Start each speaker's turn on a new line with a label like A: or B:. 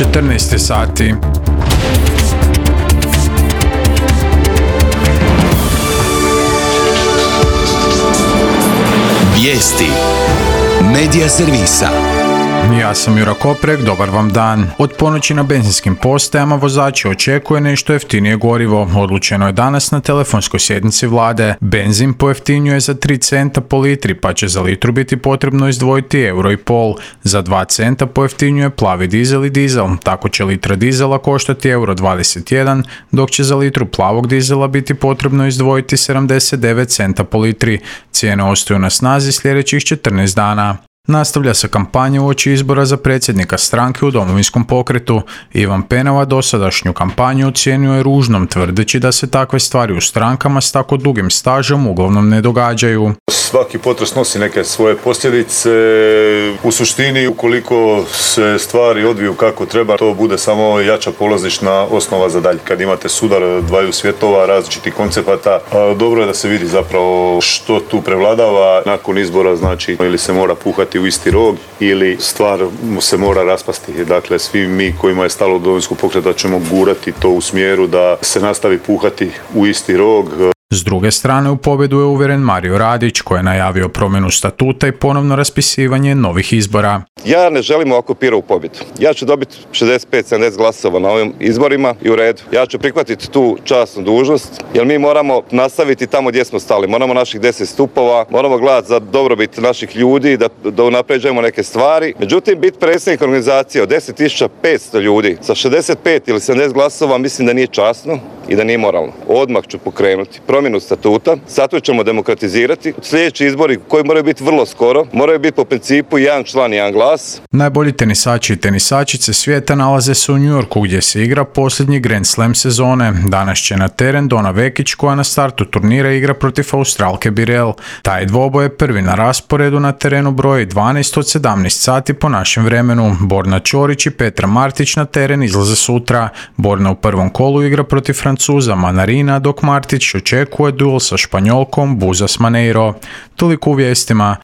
A: 14 sati.
B: Vijesti Medija servisa.
A: Ja sam Jura Koprek, dobar vam dan. Od ponoći na benzinskim postajama vozači očekuje nešto jeftinije gorivo. Odlučeno je danas na telefonskoj sjednici vlade. Benzin pojeftinjuje za 3 centa po litri, pa će za litru biti potrebno izdvojiti €1,5. Za 2 centa pojeftinjuje plavi dizel i dizel. Tako će litra dizela koštati €1,21, dok će za litru plavog dizela biti potrebno izdvojiti 79 centa po litri. Cijene ostaju na snazi sljedećih 14 dana. Nastavlja se kampanja uoči izbora za predsjednika stranke u Domovinskom pokretu. Ivan Penava dosadašnju kampanju ocjenjuje ružnom, tvrdeći da se takve stvari u strankama s tako dugim stažom uglavnom ne događaju.
C: Svaki potres nosi neke svoje posljedice. U suštini, ukoliko se stvari odviju kako treba, to bude samo jača polazišna osnova za dalje. Kad imate sudar dvaju svjetova, različitih koncepata, dobro je da se vidi zapravo što tu prevladava. Nakon izbora, znači, ili se mora puhati u isti rog ili stvar se mora raspasti. Dakle, svi mi kojima je stalo do Domovinskog pokreta ćemo gurati to u smjeru da se nastavi puhati u isti rog.
A: S druge strane, u pobjedu je uvjeren Mario Radić, koji je najavio promjenu statuta i ponovno raspisivanje novih izbora.
D: Ja ne želim ovako Pirovu pobjedu. Ja ću dobiti 65-70 glasova na ovim izborima i u redu. Ja ću prihvatiti tu časnu dužnost, jer mi moramo nastaviti tamo gdje smo stali. Moramo naših 10 stupova, moramo gledati za dobrobit naših ljudi, da unapređujemo neke stvari. Međutim, biti predsjednik organizacije od 10.500 ljudi sa 65 ili 70 glasova mislim da nije časno i da nije moralno. Odmah ću pokrenuti promjenu statuta, statut ćemo demokratizirati. Sljedeći izbori koji moraju biti vrlo skoro, moraju biti po principu jedan član, jedan glas.
A: Najbolji tenisači i tenisačice svijeta nalaze se u New Yorku, gdje se igra posljednji Grand Slam sezone. Danas će na teren Dona Vekić, koja na startu turnira igra protiv Australke Birel. Taj dvoboj je prvi na rasporedu na terenu broji 12 od 17 sati po našem vremenu. Borna Ćorić i Petra Martić na teren izlaze sutra. Borna u prvom kolu igra protiv Francuza Manarina, dok Martić očekuje duel sa Španjolkom Buzas Maneiro. Toliko u vijestima.